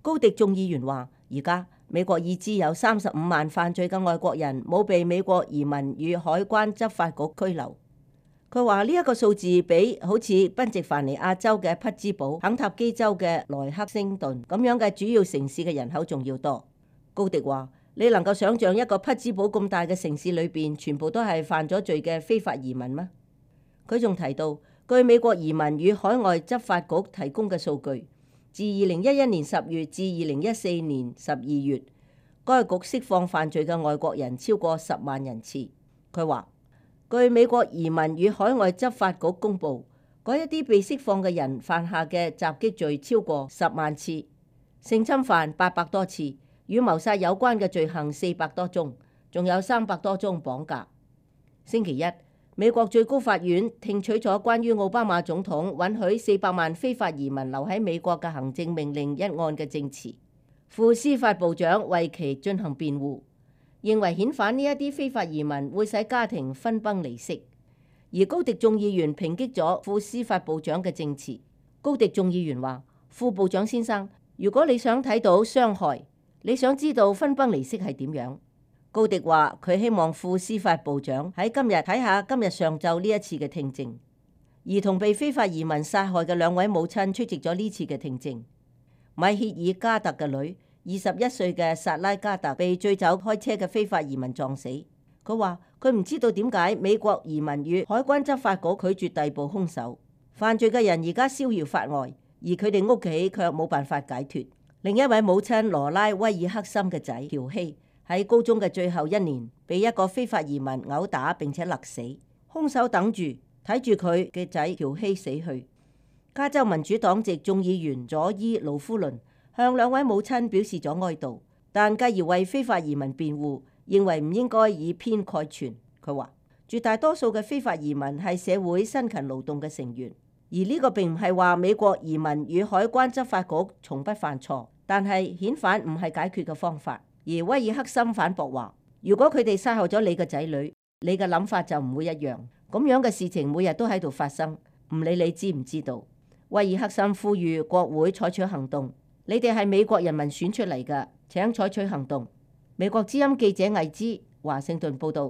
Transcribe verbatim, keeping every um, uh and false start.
高迪眾議員話：而家美國已知有三十五萬犯罪嘅外國人冇被美國移民與海關執法局拘留。佢話呢一個數字比好似賓夕凡尼亞州嘅匹茲堡、肯塔基州嘅萊克星頓咁樣嘅主要城市嘅人口仲要多。高迪話：你能夠想象一個匹茲堡咁大嘅城市裏邊全部都係犯咗罪嘅非法移民嗎？佢仲提到，據美國移民與海外執法局提供嘅數據，自二零一一年十月至二零一四年十二月，該局釋放犯罪嘅外國人超過十萬人次。佢話：據美國移民與海外執法局公佈，嗰一啲被釋放嘅人犯下嘅襲擊罪超過十萬次，性侵犯八百多次，與謀殺有關嘅罪行四百多宗，仲有三百多宗綁架。星期一，美國最高法院聽取咗關於奧巴馬總統允許四百萬非法移民留喺美國嘅行政命令一案嘅證詞，副司法部長為其進行辯護，認為遣返呢一啲非法移民會使家庭分崩離析。而高迪眾議員抨擊咗副司法部長嘅證詞。高迪眾議員話：副部長先生，如果你想睇到傷害，你想知道分崩離析係點樣？高迪話佢希望副司法部長喺今日睇下今日上晝呢一次嘅聽證。兒童被非法移民殺害嘅兩位母親出席咗呢次嘅聽證。米歇爾加特嘅女，二十一歲嘅薩拉加特被醉酒開車嘅非法移民撞死。佢話佢唔知道點解美國移民與海關執法局拒絕逮捕兇手。犯罪嘅人而家逍遙法外，而佢哋屋企卻冇辦法解脫。另一位母親羅拉威爾克森嘅仔喬希喺高中嘅最後一年，被一個非法移民毆打並且勒死。兇手等住睇住佢嘅仔喬希死去。加州民主黨籍眾議員佐伊盧夫倫向兩位母親表示咗哀悼，但繼而為非法移民辯護，認為唔應該以偏概全。佢話：絕大多數嘅非法移民係社會辛勤勞動嘅成員，而呢個並唔係話美國移民與海關執法局從不犯錯，但係遣返唔係解決嘅方法。而威爾克森反駁話：如果佢哋殺害咗你嘅仔女，你嘅諗法就唔會一樣。咁樣嘅事情每日都喺度發生，唔理你知唔知道。威爾克森呼籲國會採取行動，你哋係美國人民選出嚟㗎，請採取行動。美國之音記者魏之華盛頓報道。